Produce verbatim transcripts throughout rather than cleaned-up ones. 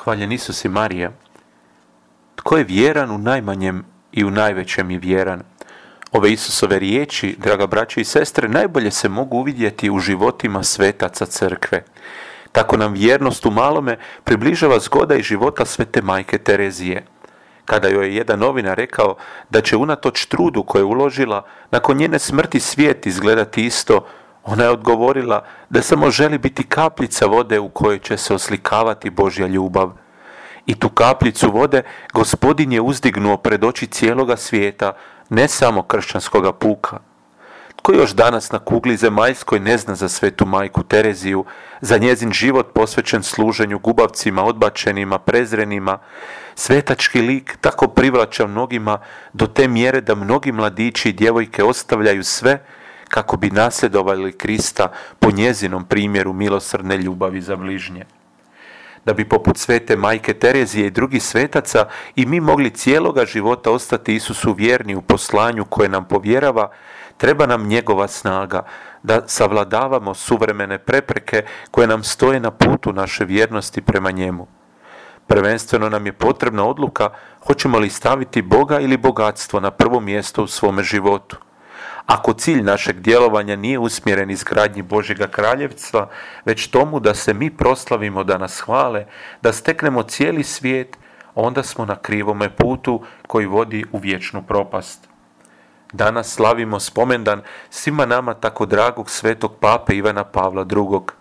Hvaljen Isus i Marija. Tko je vjeran u najmanjem i u najvećem je vjeran. Ove Isusove riječi, draga braće i sestre, najbolje se mogu uvidjeti u životima svetaca crkve. Tako nam vjernost u malome približava zgoda i života svete majke Terezije. Kada joj je jedan novinar rekao da će unatoč trudu koje je uložila, nakon njene smrti svijet izgledati isto, ona je odgovorila da samo želi biti kapljica vode u kojoj će se oslikavati Božja ljubav. I tu kapljicu vode Gospodin je uzdignuo pred oči cijeloga svijeta, ne samo kršćanskoga puka. Tko još danas na kugli zemaljskoj ne zna za svetu majku Tereziju, za njezin život posvećen služenju gubavcima, odbačenima, prezrenima? Svetački lik tako privlača mnogima do te mjere da mnogi mladići i djevojke ostavljaju sve kako bi nasljedovali Krista po njezinom primjeru milosrdne ljubavi za bližnje. Da bi poput svete majke Terezije i drugih svetaca i mi mogli cijeloga života ostati Isusu vjerni u poslanju koje nam povjerava, treba nam njegova snaga da savladavamo suvremene prepreke koje nam stoje na putu naše vjernosti prema njemu. Prvenstveno nam je potrebna odluka hoćemo li staviti Boga ili bogatstvo na prvo mjesto u svome životu. Ako cilj našeg djelovanja nije usmjeren izgradnji Božjega kraljevstva, već tomu da se mi proslavimo, da nas hvale, da steknemo cijeli svijet, onda smo na krivome putu koji vodi u vječnu propast. Danas slavimo spomendan svima nama tako dragog svetog pape Ivana Pavla drugog.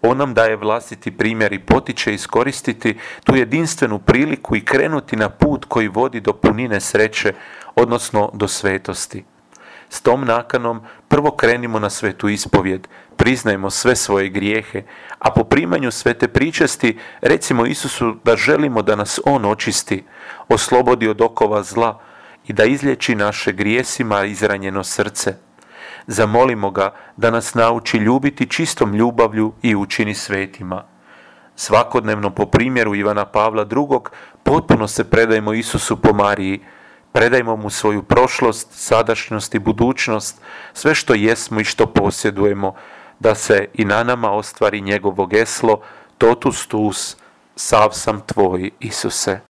On nam daje vlastiti primjer i potiče iskoristiti tu jedinstvenu priliku i krenuti na put koji vodi do punine sreće, odnosno do svetosti. S tom nakanom prvo krenimo na svetu ispovjed, priznajmo sve svoje grijehe, a po primanju svete pričesti recimo Isusu da želimo da nas On očisti, oslobodi od okova zla i da izliječi naše grijesima izranjeno srce. Zamolimo ga da nas nauči ljubiti čistom ljubavlju i učini svetima. Svakodnevno po primjeru Ivana Pavla drugog potpuno se predajmo Isusu po Mariji. Predajmo mu svoju prošlost, sadašnjost i budućnost, sve što jesmo i što posjedujemo, da se i na nama ostvari njegovo geslo, totus tuus, sav sam tvoj, Isuse.